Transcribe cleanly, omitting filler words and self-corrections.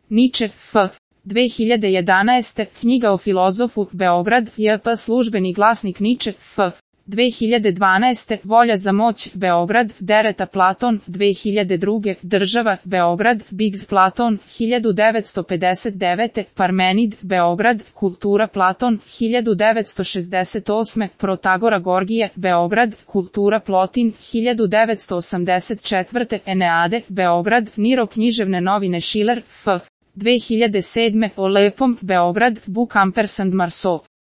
Niče, F. 2011. Knjiga o filozofu, Beograd, J.P. Službeni glasnik Niče, F. 2012. Volja za moć, Beograd, Dereta Platon, 2002. Država, Beograd, Biggs Platon, 1959. Parmenid, Beograd, Kultura Platon, 1968. Protagora Gorgije, Beograd, Kultura Plotin, 1984. Eneade, Beograd, Niro književne novine Schiller, F. 2007. O lepom, Beograd, Book & Marceau.